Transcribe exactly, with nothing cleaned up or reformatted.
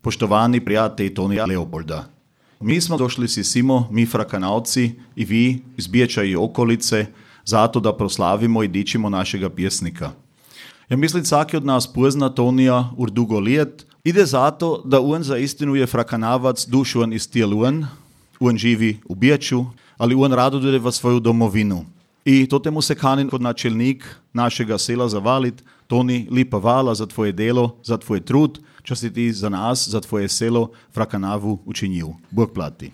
Poštovani prijatelji Tonija Leopolda. Mi smo došli si simo, mi Frakanavci i vi iz Bijeća i okolice, zato da proslavimo i dičimo našega pjesnika. Ja mislim, svaki od nas pozna Tonija ur dugo lijet, ide zato da on za istinu je Frakanavac dušuan iz tijeluan, on živi u Bijeću, ali on rado ide v svoju domovinu. I to temu se kanin kod načelnik našega sela zavalit. Toni, lipa vala za tvoje delo, za tvoj trud, čo si ti za nas, za tvoje selo Frakanavu učinil. Bog plati.